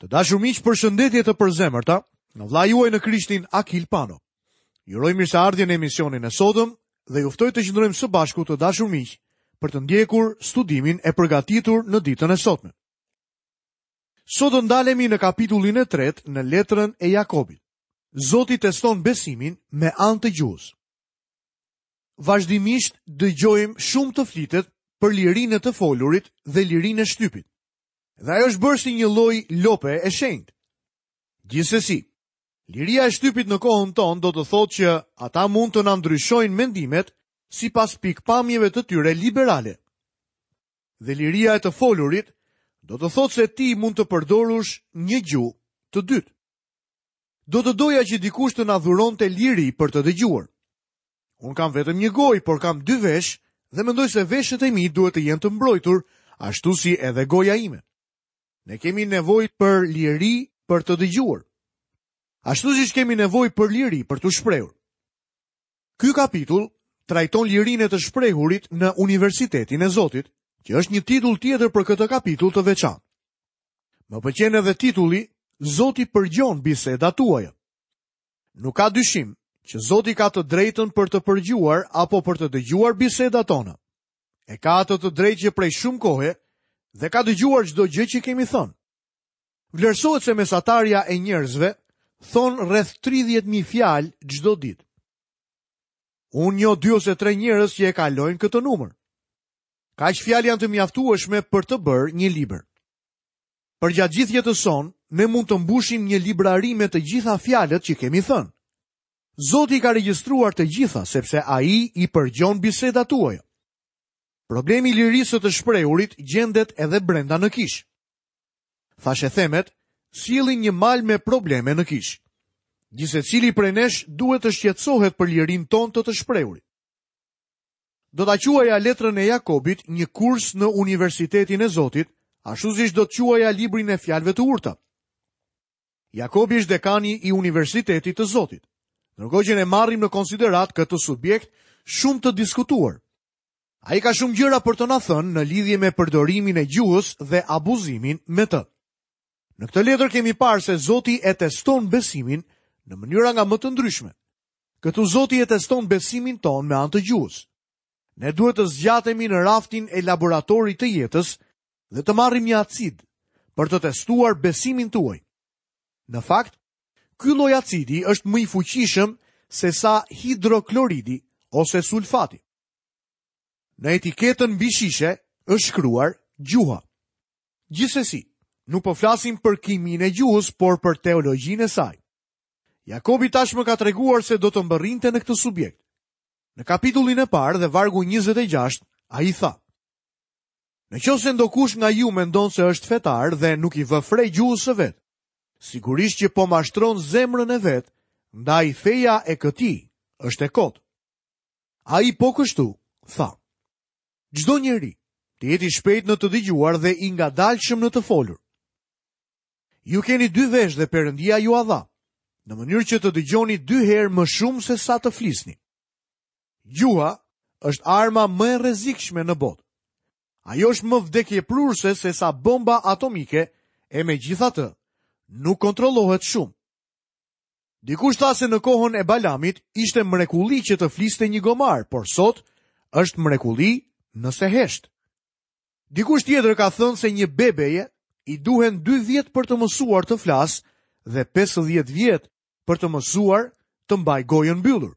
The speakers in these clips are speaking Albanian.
Të dashur miq, përshëndetje të përzemërta nga vëllai juaj në Krishtin Akil Pano. Ju uroj mirëseardhje në emisionin e sotëm dhe ju ftoj të qëndrojmë së bashku të dashur miq për të ndjekur studimin e përgatitur në ditën e sotme. Sot do ndalemi në kapitullin e tretë në letrën e Jakobit. Zoti teston besimin me anë të gjuhës. Vazhdimisht dëgjojmë shumë të flitet për lirinë e të folurit dhe lirinë e shtypit. Dhe ajo është bërë si një lloj lope e shenjtë. Gjithsesi, liria e shtypit në kohën tonë do të thotë që ata mund të na ndryshojnë mendimet sipas pikëpamjeve të tyre liberale. Dhe liria e të folurit do të thotë se ti mund të përdorësh një gjuhë të dytë. Do të doja që dikush të na dhuronte liri për të dëgjuar. Unë kam vetëm një gojë, por kam dy veshë dhe mendoj se veshët e mi duhet të jenë të mbrojtur, ashtu si edhe goja ime. Ne kemi nevojë për liri për të dëgjuar. Ashtu siç kemi nevojë për liri për t'u shprehur. Ky kapitull trajton lirinë e të shprehurit në Universitetin e Zotit, që është një titull tjetër për këtë kapitull të veçantë. Më pëlqen edhe titulli Zoti përgjon bisedat tuaja. Nuk ka dyshim që Zoti ka të drejtën për të përgjuar apo për të dëgjuar bisedat tona. E ka atë të drejtë që prej shumë kohe dhe ka dëgjuar çdo gjë që kemi thënë. Vlerësohet se mesatarja e njerëzve thonë rreth 30.000 fjalë çdo ditë. Unë njoh dy ose tre njerëz që e kalojnë këtë numër. Kaq fjalë janë të mjaftueshme për të bërë një libër. Përgjatë gjithë jetës sonë, ne mund të mbushim një librari me të gjitha fjalët që kemi thënë. Zoti i ka regjistruar të gjitha, sepse ai i përgjon bisedat tuaja. Problemi i lirisë së të shprehurit gjendet edhe brenda në kishë. Thashethemet sjellin një mal me probleme në kishë. Gjithsecili prej nesh duhet të shqetësohet për lirinë tonë të të shprehurit. Do ta quaja letrën e Jakobit një kurs në Universitetin e Zotit, ashtu siç do të quaja librin e fjalëve të urta. Jakobi është dekani i Universitetit të Zotit. Ndërkohë që ne marrim në konsideratë këtë subjekt shumë të diskutuar. Ai ka shumë gjëra për të na thënë në lidhje me përdorimin e gjuhës dhe abuzimin me të. Në këtë letër kemi parë se Zoti e teston besimin në mënyra nga më të ndryshme. Këtu Zoti e teston besimin tonë me anë të gjuhës. Ne duhet të zgjatemi në raftin e laboratorit të jetës dhe të marrim një acid për të testuar besimin tuaj. Në fakt, ky lloj acidi është më i fuqishëm sesa hidrokloridi ose sulfati. Në etiketën mbi shishe është shkruar gjuha. Gjithsesi, nuk po flasim për kiminë e gjuhës, por për teologjinë e saj. Jakobi tashmë ka treguar se do të mbërrinte në këtë subjekt. Në kapitullin e parë dhe vargu 26, ai tha: Në qoftë se ndokush nga ju mendon se është fetar dhe nuk i vë fre gjuhës së vet, sigurisht që po mashtron zemrën e vet, ndaj feja e këtij është e kotë. Ai po kështu tha: Çdo njeri të jetë i shpejtë në të dëgjuar dhe i ngadalshëm në të folur. Ju keni dy veshë dhe Perëndia jua dha, në mënyrë që të dëgjoni dy herë më shumë se sa të flisni. Gjuha është arma më e rrezikshme në botë. Ajo është më vdekjeprurëse se sa bomba atomike e megjithatë nuk kontrollohet shumë. Dikush tha se në kohën e Balamit ishte mrekulli që të fliste një gomar, por sot është mrekulli nëse hesht. Dikush tjetër ka thënë se një bebeje i duhen 2 vjet për të mësuar të flasë dhe 50 vjet për të mësuar të mbajë gojën mbyllur.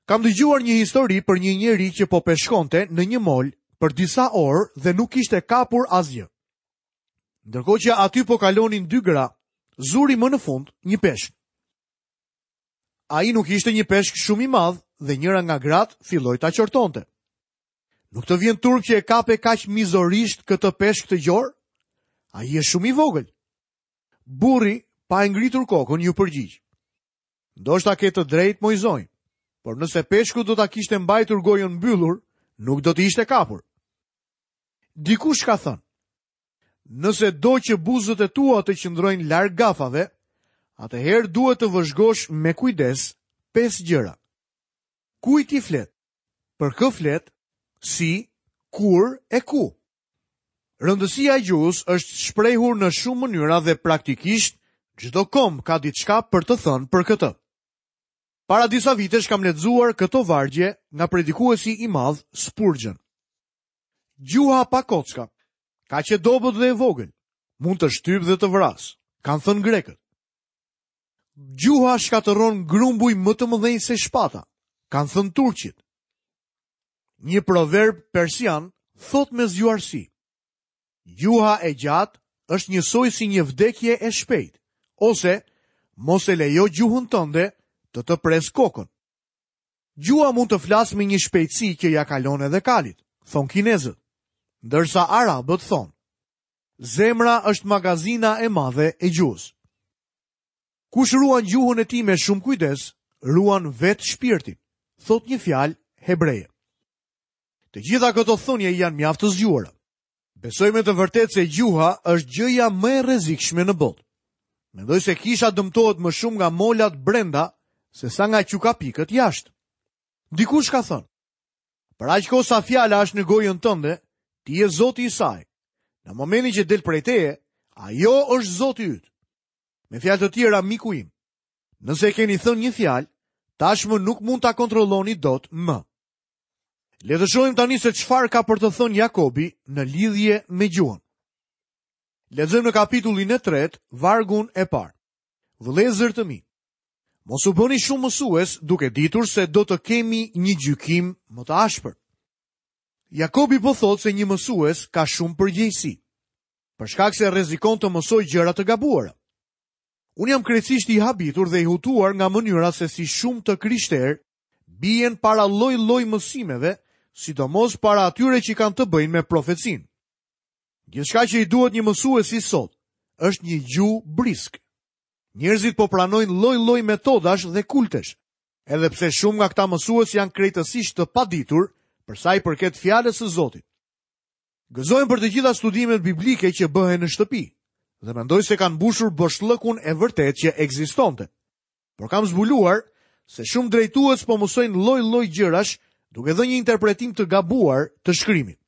Kam dëgjuar një histori për një njeri që po peshkonte në një mol për disa orë dhe nuk kishte kapur asgjë. Ndërkohë që aty po kalonin dy gra, zuri më në fund një peshk. Ai nuk ishte një peshk shumë i madh dhe njëra nga gratë filloi ta qortonte. Nuk të vjen turp që e kape kaq mizorisht këtë peshk të gjorë? Ai është shumë i vogël. Burri, pa e ngritur kokën, iu përgjigj. Ndoshta ke të drejtë, moj zonjë, por nëse peshku do ta kishte mbajtur gojën mbyllur, nuk do të ishte kapur. Dikush ka thënë, nëse do që buzët e tua të qëndrojnë larg gafave, atëherë duhet të vëzhgosh me kujdes pesë gjëra. Kujt i flet? Për kë flet? Si, kur e ku? Rëndësia e gjuhës është shprehur në shumë mënyra dhe praktikisht çdo komb ka diçka për të thënë për këtë. Para disa vitesh kam lexuar këto vargje nga predikuesi i madh Spurgeon. Gjuha pa kocka, kaq e dobët dhe e vogël, mund të shtypë dhe të vrasë, kanë thënë grekët. Gjuha shkatërron grumbuj më të mëdhenj se shpata, kanë thënë turqit. Një proverb persian thotë me zgjuarsi. Gjuha e gjatë është njësoj si një vdekje e shpejtë, ose mos e lejo gjuhën tënde të të presë kokën. Gjuha mund të flasë me një shpejtësi që ia kalon edhe kalit, thonë kinezët, ndërsa arabët thonë, zemra është magazina e madhe e gjuhës. Kush ruan gjuhën e tij me shumë kujdes, ruan vetë shpirtin, thotë një fjalë hebreje. Të gjitha këto thënie janë mjaft të zgjuara. Besoj me të vërtetë se gjuha është gjëja më e rrezikshme në botë. Mendoj se kisha dëmtohet më shumë nga molat brenda sesa nga qukapikët jashtë. Dikush ka thënë, për aq kohë sa fjala është në gojën tënde, ti je zoti i saj. Në momentin që del prej teje, ajo është zoti yt. Me fjalë të tjera, miku im, nëse keni thënë një fjalë, tashmë nuk mund ta kontrolloni dot më. Le të shohim tani se çfarë ka për të thënë Jakobi në lidhje me gjuhën. Lexojmë në kapitullin e tretë, vargun e parë. Vëllezër të mi, mos u bëni shumë mësues duke ditur se do të kemi një gjykim më të ashpër. Jakobi po thotë se një mësues ka shumë përgjegjësi, për shkak se rrezikon të mësojë gjëra të gabuara. Unë jam krejtësisht i habitur dhe i hutuar nga mënyra se si shumë të krishterë bien para lloj-lloj mësimeve, sidomos para atyre që kanë të bëjnë me profecinë. Gjithçka që i duhet një mësuesi sot është një gjuhë brisk. Njerëzit po pranojnë lloj-lloj metodash dhe kultesh, edhe pse shumë nga këta mësues janë krejtësisht të paditur për sa i përket fjalës së Zotit. Gëzohem për të gjitha studimet biblike që bëhen në shtëpi dhe mendoj se kanë mbushur boshllëkun e vërtetë që ekzistonte. Por kam zbuluar se shumë drejtues po mësojnë lloj-lloj gjërash duke dhënë një interpretim të gabuar të shkrimit.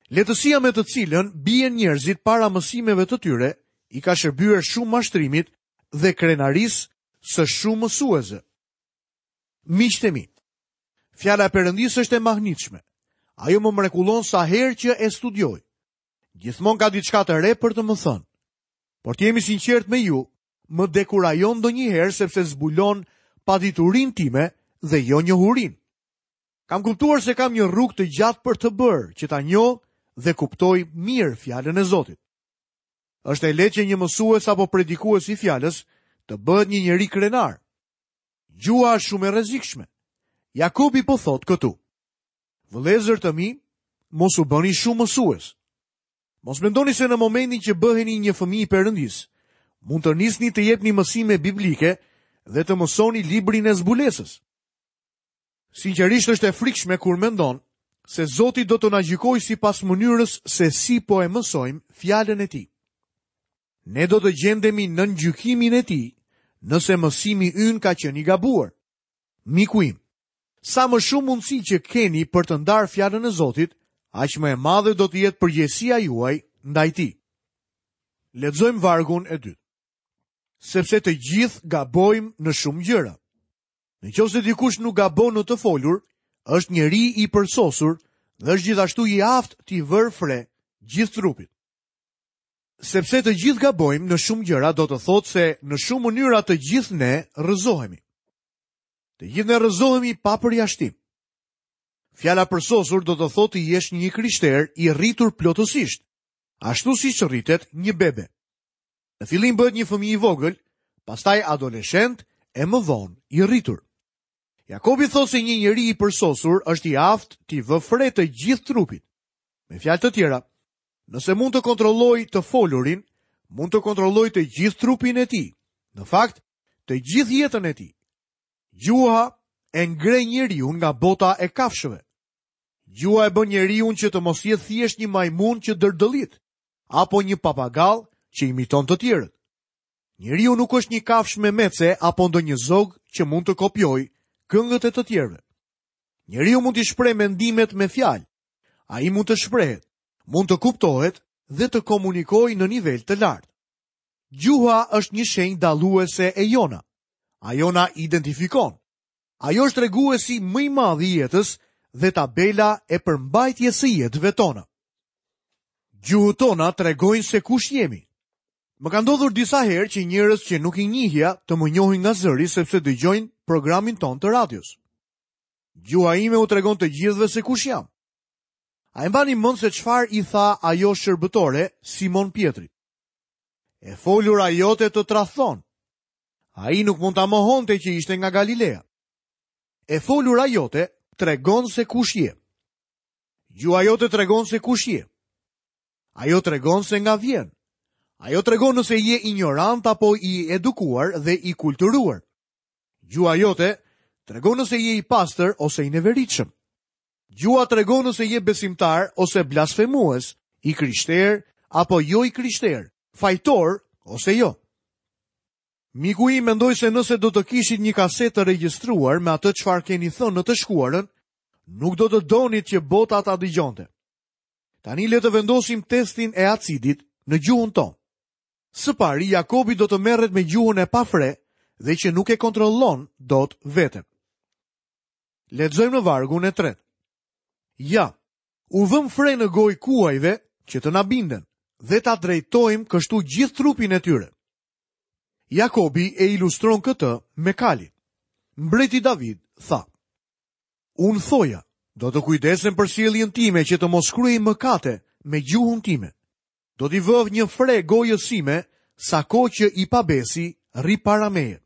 Lehtësia me të cilën bien njerëzit para mësimeve të tyre i ka shërbyer shumë mashtrimit dhe krenarisë së shumë mësuesve. Miqtë e mi, fjala e Perëndisë është e mahnitshme. Ajo më mrekullon sa herë që e studioj. Gjithmonë ka diçka të re për të më thënë. Por të jem i sinqertë me ju, më dekurajon ndonjëherë sepse zbulon paditurinë time dhe jo njohurinë. Kam kuptuar se kam një rrugë të gjatë për të bërë që ta njoh dhe kuptoj mirë fjalën e Zotit. Është e lehtë që një mësues apo predikues i fjalës të bëhet një njeri krenar. Gjuha është shumë e rrezikshme. Jakobi po thotë këtu. Vëllezër të mi, mos u bëni shumë mësues. Mos mendoni se në momentin që bëheni një fëmijë i Perëndisë, mund të nisni të jepni mësime biblike dhe të mësoni librin e zbulesës. Sinqerisht është e frikshme kur mendon se Zoti do të na gjykojë sipas mënyrës se si po e mësojmë fjalën e tij. Ne do të gjendemi nën gjykimin e tij nëse mësimi ynë ka qenë i gabuar. Miku im, Sa më shumë mundësi që keni për të ndarë fjalën e Zotit, aq më e madhe do të jetë përgjegjësia juaj ndaj tij. Lexojmë vargun e dytë. Sepse të gjithë gabojmë në shumë gjëra. Në qoftë se dikush nuk gabon në të folur, është njeri i përsosur dhe është gjithashtu i aftë t'i vërë fre gjithë trupit. Sepse të gjithë gabojmë në shumë gjëra do të thotë se në shumë mënyra të gjithë ne rrëzohemi. Të gjithë ne rrëzohemi pa përjashtim. Fjala përsosur do të thotë të jesh një i krishterë i rritur plotësisht, ashtu siç rritet një bebe. Në fillim bëhet një fëmijë i vogël, pastaj adoleshent e më vonë i rritur. Jakobi thotë se një njeri i përsosur është i aftë t'i vë fre të gjithë trupit. Me fjalë të tjera, nëse mund të kontrollojë të folurin, mund të kontrollojë të gjithë trupin e tij. Në fakt, të gjithë jetën e tij. Gjuha e ngre njeriun nga bota e kafshëve. Gjuha e bën njeriun që të mos jetë thjesht një majmun që dërdëllit, apo një papagall që imiton të tjerët. Njeriu nuk është një kafshë memece apo ndonjë zog që mund të kopjojë këngët e të tjerëve. Njeriu mund t'i shprehë mendimet me fjalë. Ai mund të shprehet. mund të kuptohet dhe të komunikojë në nivel të lartë. Gjuha është një shenjë dalluese e jona. Ajo na identifikon. Ajo është treguesi më i madh i jetës dhe tabela e përmbajtjes së jetëve tona. Gjuhët tona tregojnë se kush jemi. Më ka ndodhur disa herë që njerëz që nuk i njihja të më njohin nga zëri sepse dëgjojnë programin tonë të radios. Gjuha ime u tregon të gjithëve se kush jam. A e mbani mend se çfarë i tha ajo shërbëtore Simon Pjetrit? E folura jote të tradhton. Ai nuk mund ta mohonte që ishte nga Galilea. E folura jote tregon se kush je. Gjuha jote tregon se kush je. Ajo tregon se nga vjen. Ajo tregon nëse je injorant apo i edukuar dhe i kulturuar. Gjuha jote tregon nëse je i pastër ose i neveritshëm. Gjuha tregon nëse je besimtar ose blasfemues, i krishterë apo jo i krishterë, fajtor ose jo. Miku im mendoj se nëse do të kishit një kasetë të regjistruar me atë çfarë keni thënë në të shkuarën, nuk do të donit që bota ta dëgjonte. Tani le të vendosim testin e acidit në gjuhën tonë. Së pari, Jakobi do të merret me gjuhën e pafre dhe që nuk e kontrollon dot veten. Lexojmë në vargun e tretë. Ja, u vëmë fre në gojë kuajve që të na binden dhe ta drejtojmë kështu gjithë trupin e tyre. Jakobi e ilustron këtë me kalin. Mbreti David tha: Unë thoja, do të kujdesem për sjelljen time që të mos kryej mëkate me gjuhën time. Do t'i vë një fre gojës sime sa kohë që i pabesi rri para meje.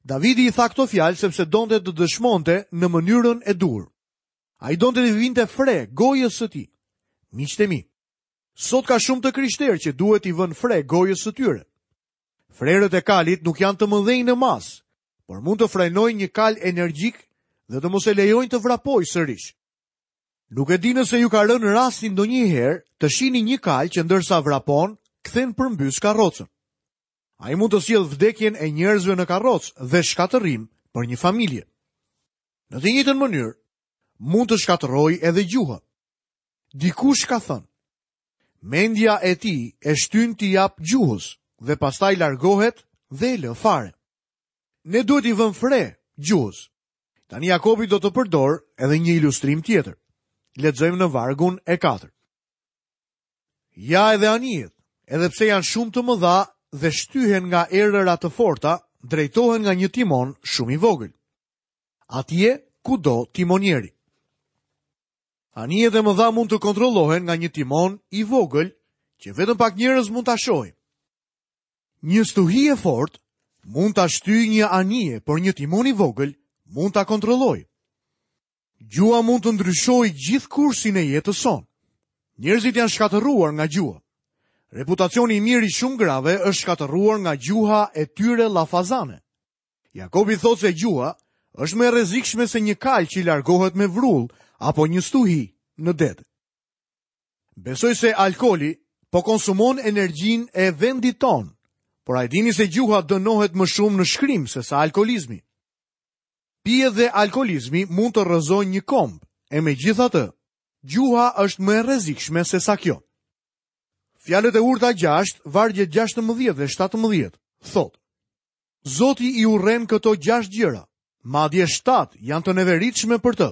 Davidi i tha këto fjalë sepse donte të dëshmonte në mënyrën e duhur. Ai donte t'i vinte fre gojës së tij. Miqtë e mi, sot ka shumë të krishterë që duhet t'i vënë fre gojës së tyre. Frerët e kalit nuk janë të mëdhenj në masë, por mund të frenojnë një kal energjik dhe të mos e lejojnë të vrapojë sërish. Nuk e di nëse ju ka rënë rasti ndonjëherë të shihni një kal që ndërsa vrapon, kthen përmbys karrocën. Ai mund të sjellë vdekjen e njerëzve në karrocë dhe shkatërrim për një familje. Në të njëjtën mënyrë, mund të shkatërrojë edhe gjuha. Dikush ka thënë, mendja e tij e shtyn t'i japë gjuhës dhe pastaj largohet dhe e lë fare. Ne duhet t'i vëmë fre gjuhës. Tani Jakobi do të përdorë edhe një ilustrim tjetër. Lexojmë në vargun e 4. Ja edhe anijet, edhe pse janë shumë të mëdha dhe shtyhen nga erëra të forta, drejtohen nga një timon shumë i vogël. Atje ku do timonieri. Anijet e mëdha mund të kontrollohen nga një timon i vogël që vetëm pak njerëz mund ta shohin. Një stuhi e fortë mund ta shtyjë një anije, por një timon i vogël mund ta kontrollojë. Gjuha mund të ndryshojë gjithë kursin e jetës sonë. Njerëzit janë shkatërruar nga gjuha. Reputacioni i mirë i shumë grave është shkatërruar nga gjuha e tyre llafazane. Jakobi thotë se gjuha është më e rrezikshme se një kalë që largohet me vrull apo një stuhi në det. Besoj se alkooli po konsumon energjinë e vendit tonë, por a e dini se gjuha dënohet më shumë në shkrim sesa alkoolizmi? Pijet dhe alkoolizmi mund të rrëzojnë një komb, e megjithatë, gjuha është më e rrezikshme sesa kjo. Fjalët e urta 6, vargjet 16 dhe 17, thotë: Zoti i urren këto 6 gjëra, madje 7 janë të neveritshme për të.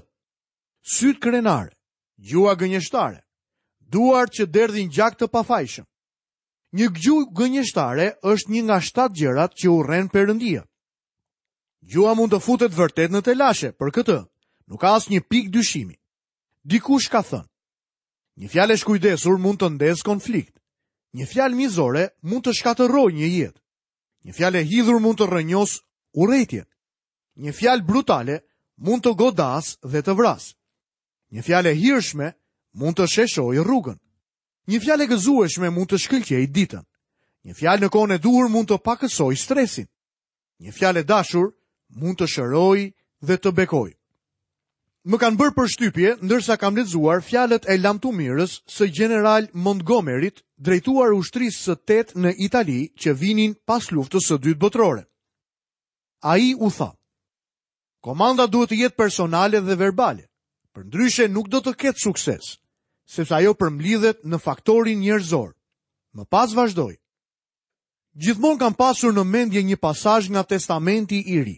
Sytë krenarë, gjuha gënjeshtare, duart që derdhin gjak të pafajshëm. Një gjuhë gënjeshtare është një nga 7 gjërat që urren Perëndia. Gjuha mund të futet vërtet në telashe, për këtë nuk ka asnjë pikë dyshimi. Dikush ka thënë, një fjalë e shkujdesur mund të ndezë konflikt. Një fjalë mizore mund të shkatërrojë një jetë. Një fjalë e hidhur mund të rrënjosë urrejtjen. Një fjalë brutale mund të godasë dhe të vrasë. Një fjalë e hirshme mund të sheshojë rrugën. Një fjalë e gëzueshme mund të shkëlqejë ditën. Një fjalë në kohën e duhur mund të pakësojë stresin. Një fjalë e dashur mund të shërojë dhe të bekojë. Më kanë bërë përshtypje ndërsa kam lexuar fjalët e lamtumirës së gjeneral Montgomeryt drejtuar ushtrisë së 8 në Itali që vinin pas luftës së dytë botërore. Ai u tha: Komanda duhet të jetë personale dhe verbale. Përndryshe nuk do të ketë sukses. sepse ajo përmblidhet në faktorin njerëzor. Më pas vazhdoi. Gjithmonë kam pasur në mendje një pasazh nga Testamenti i Ri.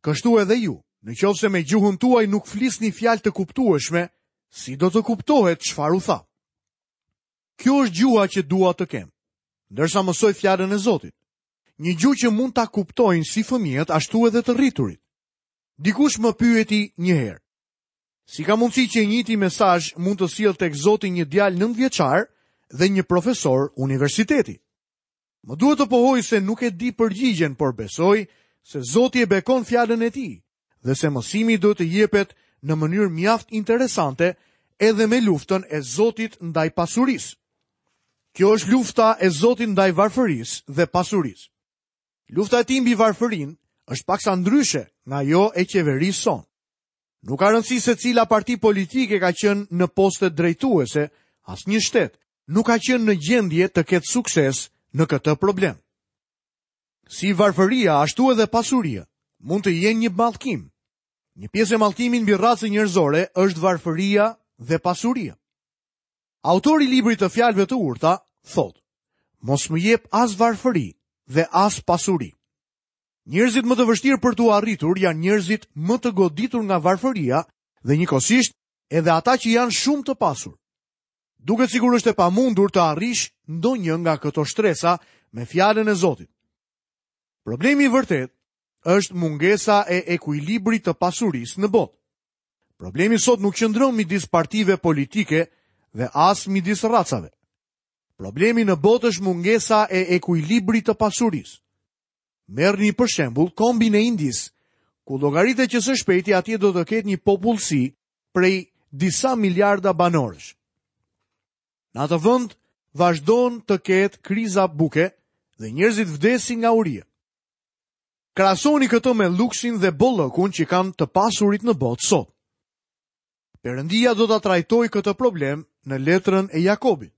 Kështu edhe ju, në qoftë se me gjuhën tuaj nuk flisni fjalë të kuptueshme, si do të kuptohet çfarë u tha? Kjo është gjuha që dua të kem, ndërsa mësoj fjalën e Zotit. Një gjuhë që mund ta kuptojnë si fëmijët ashtu edhe të rriturit. Dikush më pyeti një herë. Si ka mundësi që i njëjti mesazh mund të sjellë tek Zoti një djalë nëntëvjeçar dhe një profesor universiteti? Më duhet të pohoj se nuk e di përgjigjen, por besoj se Zoti e bekon fjalën e tij dhe se mësimi duhet të jepet në mënyrë mjaft interesante edhe me luftën e Zotit ndaj pasurisë. Kjo është lufta e Zotit ndaj varfërisë dhe pasurisë. Lufta e tij mbi varfërinë është paksa ndryshe nga ajo e qeverisë sonë. Nuk ka rëndësi se cila parti politike ka qenë në postet drejtuese, asnjë shtet nuk ka qenë në gjendje të ketë sukses në këtë problem. Si varfëria, ashtu edhe pasuria, mund të jenë një mallkim. Një pjesë e mallkimit mbi racën njerëzore është varfëria dhe pasuria. Autori i librit të fjalëve të urta thotë: Mos më jep as varfëri dhe as pasuri. Njerëzit më të vështirë për t'u arritur janë njerëzit më të goditur nga varfëria dhe njëkohësisht edhe ata që janë shumë të pasur. Duket sikur është e pamundur të arrish ndonjë nga këto shtresa me fjalën e Zotit. Problemi i vërtetë është mungesa e ekuilibrit të pasurisë në botë. Problemi sot nuk qëndron midis partive politike dhe as midis racave. Problemi në botë është mungesa e ekuilibrit të pasurisë. Merrni për shembull kombin e Indisë, ku llogaritet që së shpejti atje do të ketë një popullsi prej disa miliarda banorësh. Në atë vend vazhdon të ketë kriza buke dhe njerëzit vdesin nga uria. Krahasoni këtë me luksin dhe bollëkun që kanë të pasurit në botë sot. Perëndia do ta trajtojë këtë problem në letrën e Jakobit.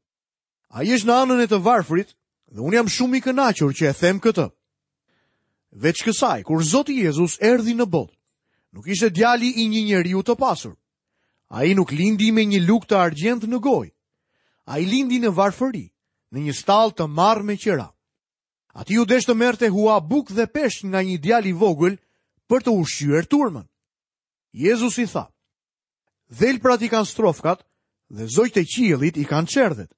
Ai është në anën e të varfrit dhe unë jam shumë i kënaqur që e them këtë. Veç kësaj, kur Zoti Jezus erdhi në botë, nuk ishte djali i një njeriu të pasur. Ai nuk lindi me një lugë të argjendtë në gojë. Ai lindi në varfëri, në një stallë të marrë me qira. Atij iu desh të merrte hua bukë dhe peshq nga një djalë i vogël për të ushqyer turmën. Jezusi tha, Dhelprat i kanë strofkat dhe zogjtë e qiellit i kanë çerdhet,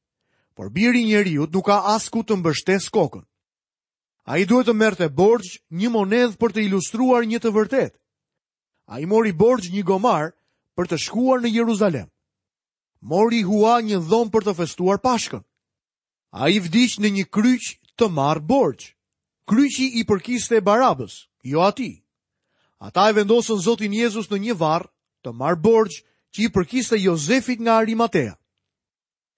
por biri i njeriut nuk ka as ku të mbështesë kokën. Ai duhet të merrte borxh një monedhë për të ilustruar një të vërtetë. Ai mori borxh një gomar për të shkuar në Jeruzalem. Mori hua një dhomë për të festuar Pashkën. Ai vdiq në një kryq të marrë borxh. Kryqi i përkiste Barabës, jo atij. Ata e vendosën Zotin Jezus në një varr të marrë borxh që i përkiste Jozefit nga Arimatea.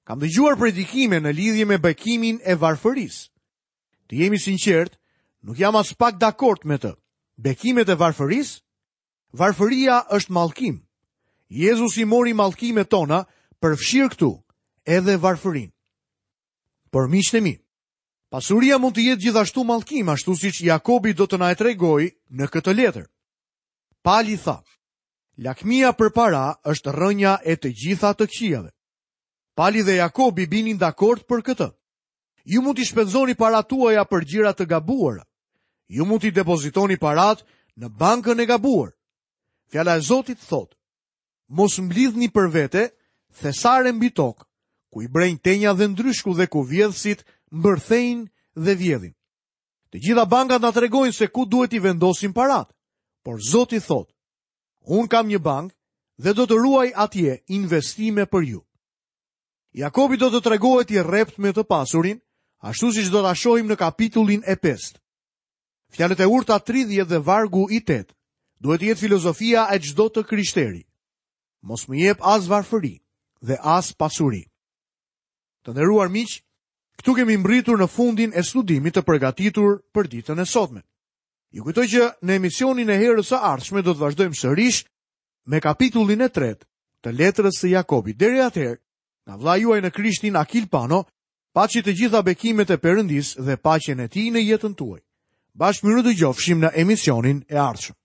Kam dëgjuar predikime në lidhje me bekimin e varfërisë. Të jem i sinqertë, nuk jam aspak dakord me të. Bekimet e varfërisë? Varfëria është mallkim. Jezusi mori mallkimet tona, përfshirë këtu edhe varfërinë. Por miqtë e mi, pasuria mund të jetë gjithashtu mallkim, ashtu siç Jakobi do të na e tregojë në këtë letër. Pali tha, lakmia për para është rrënja e të gjitha të këqijave. Pali dhe Jakobi binin dakord për këtë. Ju mund t'i shpenzoni paratë tuaja për gjëra të gabuara. Ju mund t'i depozitoni paratë në bankën e gabuar. Fjala e Zotit thotë: Mos mblidhni për vete thesare mbi tokë, ku i brejnë tenja dhe ndryshku dhe ku vjedhësit mbërthejnë dhe vjedhin. Të gjitha bankat na tregojnë se ku duhet t'i vendosim paratë, por Zoti thotë: Unë kam një bankë dhe do të ruaj atje investime për ju. Jakobi do të tregohet i rreptë me të pasurin, ashtu siç do ta shohim në kapitullin e 5. Fjalët e urta 30 dhe vargu i 8 duhet të jetë filozofia e çdo të krishteri. Mos më jep as varfëri dhe as pasuri. Të nderuar miq, këtu kemi mbërritur në fundin e studimit të përgatitur për ditën e sotme. Ju kujtoj që në emisionin e herës së ardhshme do të vazhdojmë sërish me kapitullin e tretë të letrës së Jakobit. Deri atëherë, nga vëllai juaj në Krishtin Akil Pano, paçi të gjitha bekimet e Perëndisë dhe paqen e tij në jetën tuaj. Bashkë mirudëgjofshim në emisionin e ardhshëm.